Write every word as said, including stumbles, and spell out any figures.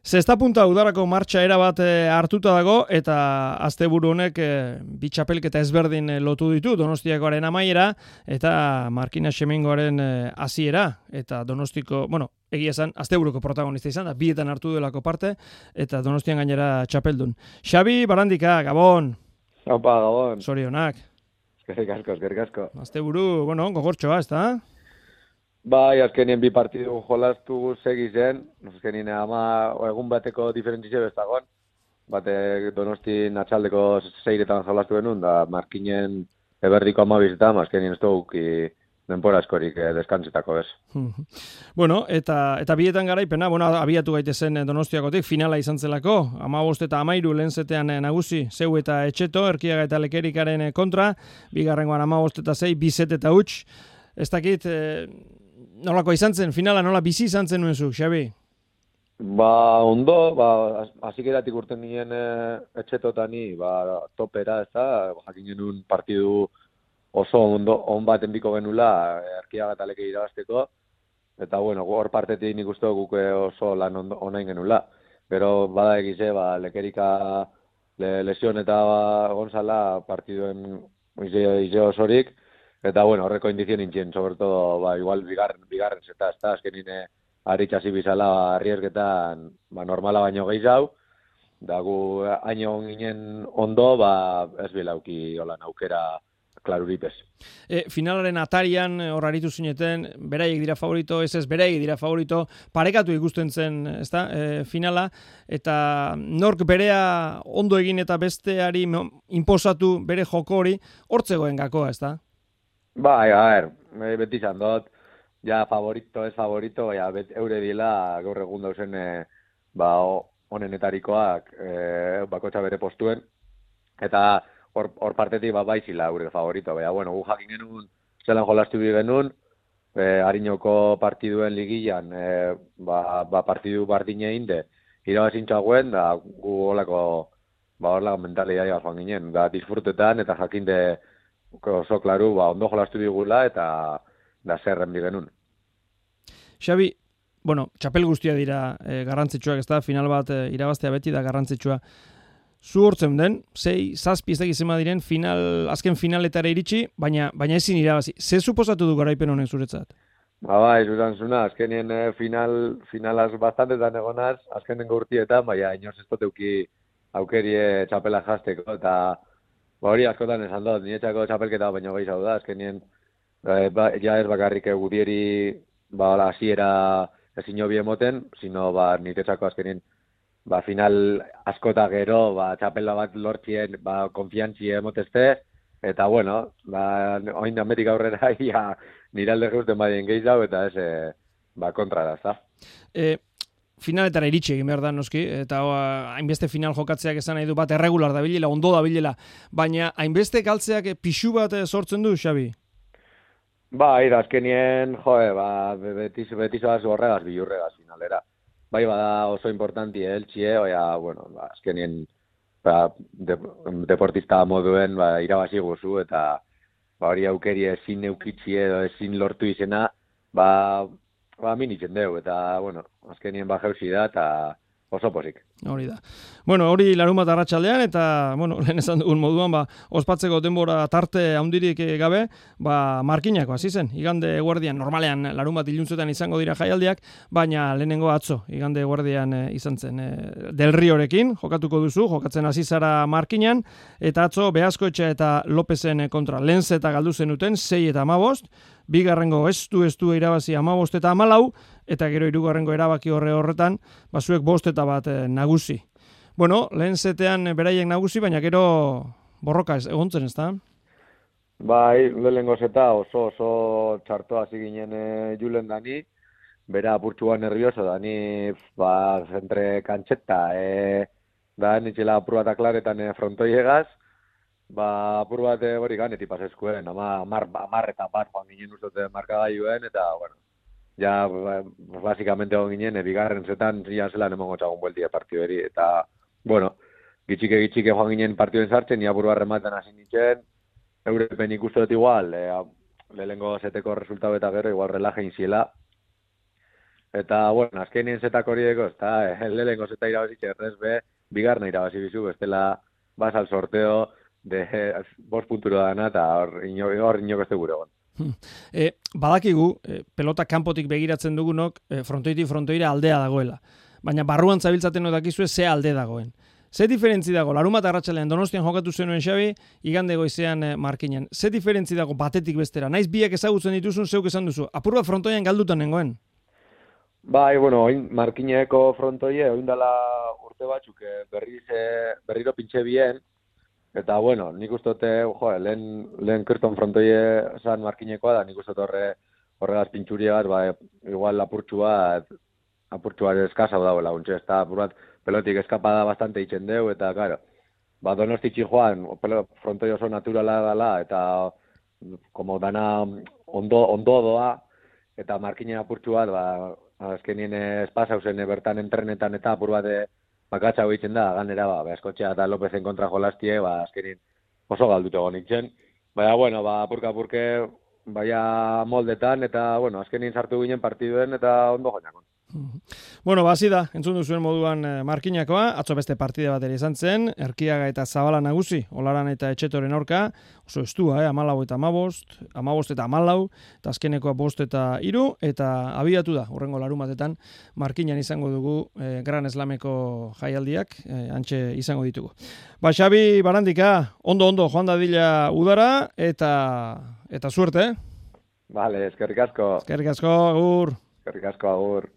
Zesta punta udarako martxa erabat hartuta dago eta asteburu honek bi txapelketa ezberdin lotu ditu Donostiakoaren amaiera eta Markina Xemengoaren hasiera eta Donostiko, bueno, egia esan asteburuko protagonista izan da, bietan hartu delako parte eta Donostian gainera txapeldun. Xabi Barandika, Gabon. Opa, Gabon. Zorionak. Eskerrik asko, eskerrik asko. Asteburu, bueno, gogortxoa, ezta? Bai, azkenien bi partidu jolastu segi zen, azkenien ama egun bateko diferentzio bestagon, bate Donostin atxaldeko seiretan jolastu genuen, da Markinen eberdiko amabizetan, azkenien ez dugu denpora askorik eh, deskantzetako ez. Bueno, eta eta bietan garaipena, bueno, abiatu gaitezen Donostiakotik, finala izan zelako, hamabost eta hamairu lehen zetean nagusi, zeu eta etxeto, Erkiaga eta Lekerikaren kontra, bigarrengoan hamabost eta sei, bizet eta huts, ez dakit, eh, nolako izan zen, finala nola bizi izan zen nuen zu, Xabi? Ba, ondo, ba, azikeratik urten nien e, etxetotani, ba, topera, ez da, jakin genuen partidu oso ondo, on baten biko genula, Erkiaga eta Leke irabazteko, eta, bueno, hor partetik nik uste guk oso lan ondo, onain genula. Pero, bada egize, ba, Lekerika le, lesion eta ba, Gonzala partiduen ize, ize osorik, eta, bueno, horreko indizio nintzen, sobre todo, ba, igual, bigarren, bigarren zeta, ez da, azkenin aritxasi bizala, ba, arriesketan, ba, normala baino gehiago, da gu, haino ginen ondo, ba, ez bilauki, holan, aukera klaruripez. E, finalaren atarian, hor aritu zineten, beraiek dira favorito, ez ez, beraiek dira favorito, parekatu ikusten zen, ez da, e, finala, eta nork berea ondo egin eta besteari inposatu bere joko hori, hortzegoen gakoa, ez da? Bai, a ver, beti izan dut, ja favorito, ez favorito, ja, bet, eure dila gaur egun dauzen e, ba, onenetarikoak e, bakotxa bere postuen, eta hor, hor partetik ba, baizila eure favorito, baina, bueno, gu jakin genuen, zelan jolastu bi genuen, e, Ariñoko partiduen ligian, e, ba, ba partidu bardine inde, irabazintxagoen, da gu holako, ba, horlako mentalidadea joan ginen, da disfrutetan eta jakinde oso klaru, ba, ondo jolastu digula eta da zerren bigenun. Xabi, bueno, txapel guztia dira e, garrantzitsuak, ez da, final bat e, irabaztea beti da garrantzitsua. Zu hortzen den, zei, zazpi ez da gizema diren, final, azken finaletara iritsi, baina baina ezin irabazi. Ze suposatu du garaipen honek zuretzat? Ba, bai, zuzan zuna, azkenien eh, final, finalaz bastantetan egonaz, azkenen gaurtietan, baina inoz ez duteuki aukerie txapela jazteko, eta ba, hori askotan esan dut, niretzako txapelketa baino gehiago da, azkenien, eh, ba, ja ez bakarrik gudieri, ba, hasiera ezin hobi emoten, sino, ba, niretzako azkenien, ba, final askota gero, ba, txapela bat lortzien, ba, konfiantzi emotezte, eta, bueno, ba, oin dametik aurrera, ja, nire alde geusten badien gehiago, eta ez, e, ba, kontra da, za. E, finaletara iritsi egin behar da, noski, eta o, hainbeste final jokatzeak esan nahi du bat erregular da bilela, ondo da bilela, baina hainbeste galtzeak pixu bat sortzen du, Xabi? Ba, ira, azkenien, joe, ba, betiz, betizoaz horregaz, bilurregaz finalera. Bai, bada oso importanti, eltsie, oia, bueno, ba, azkenien, ba, de, deportista moduen, ba, irabazi guzu, eta ba, hori aukeri ezin eukitzi edo ezin lortu izena, ba, ba, minitzen deu, eta, bueno, azkenien ba jauzi da, eta oso pozik. Hori da. Bueno, hori larunbat arratsaldean eta, bueno, lehen esan dugun moduan, ba, ospatzeko denbora tarte handirik gabe, ba, Markinako hasi zen. Igande eguerdian, normalean larunbat iluntzetan izango dira jaialdiak, baina lehenengo atzo, igande eguerdian e, izan zen. E, Del Riorekin, jokatuko duzu, jokatzen hasi zara Markinan, eta atzo Beaskoetxe eta Lopezen kontra. Lehen zeta galdu zenuten, sei eta hamabost, bigarrengo estu estu irabazi hamabost eta hamalau, eta gero hirugarrengo erabaki horre horretan, basuek bost eta bat e, nagusi. Bueno, lehen zetean beraiek nagusi, baina gero borroka ez, egontzen ez da? Bai, lehenengo zeta oso oso txartoa hasi ginen e, julen dani, bera apurtxua nervioso dani, ba, entre kantxeta, e, da, nitxela apur bat aklaretan e, frontoiegaz, ba, apur bat hori ganetik pasezkuen, ama, amar, amar eta bat joan ginen ustote markagailuen, eta, bueno, ja, basikamente egon ginen, e, bigarren zetan, zian zelan emongo txagun bueltia partideri, eta, bueno, gitxike gitxike joan ginen partiduen sartzen, ia buru harrematen hasi nintzen, eurepen ikustu dut igual, e, lehenengo zeteko resultatu eta gero, igual relaje inziela, Eta, bueno, azkenien zetak hori deko, eta lehenko zeta irabazitxe errez be, bigarna irabazi bizu, bestela bas al sorteo de bost punturo dana, eta hor inoko ez gure egon. E, badakigu, e, pelota kanpotik begiratzen dugunok, e, frontoitik frontoira aldea dagoela. Baina barruan zabiltzaten odakizue ze alde dagoen. Ze diferentzi dago, Larunbat arratsalean Donostian jokatu zenuen Xabi, igande goizean e, Markinen. Ze diferentzi dago batetik bestera? Naiz biak ezagutzen dituzun, zeuk esan duzu. Apur bat frontoian galdutan nengoen. Bai, bueno, oin Markineko frontoie, oin dala urte batzuk berriz, berriro pintxe bien, eta bueno, nik ustote, jo, lehen, lehen kirton frontoie zan Markinekoa da, nik ustote horre, horregaz pintxuria bat, ba, igual apurtxu bat, apurtxu bat eskasa dauela, untxe, ez da, apur bat, pelotik eskapada bastante itxen deu, eta, claro, ba, Donostitxi joan, frontoi oso naturala dala, eta, como dana ondo, ondo doa, eta Markinen apurtxu bat, ba, azkenien espasa usen bertan entrenetan eta apur bat bakatxa hoitzen da, ganera, ba, Askotxea eta Lopezen kontra jolastie, ba, azkenien oso galdutu egon nintzen. Baina, bueno, ba, apurka-apurke, baina moldetan, eta, bueno, azkenien sartu ginen partiduen, eta ondo joinakon. Bueno, ba, hasi da, entzun duzuen moduan Markinakoa, atzo beste partide bat ere izan zen, Erkiaga eta Zabala nagusi, Olaran eta Etxetoren aurka, oso estua, eh, amalau eta amabost, amabost eta amalau, eta azkenekoa bost eta iru, eta abiatu da, urrengo Larunbatetan, Markinan izango dugu eh, Gran Slameko jaialdiak, eh, antxe izango ditugu. Ba, Xabi Barandika, ondo-ondo joan dadila udara, eta eta suerte, eh? Vale, eskerrik asko. Eskerrik asko, agur. Eskerrik asko, agur.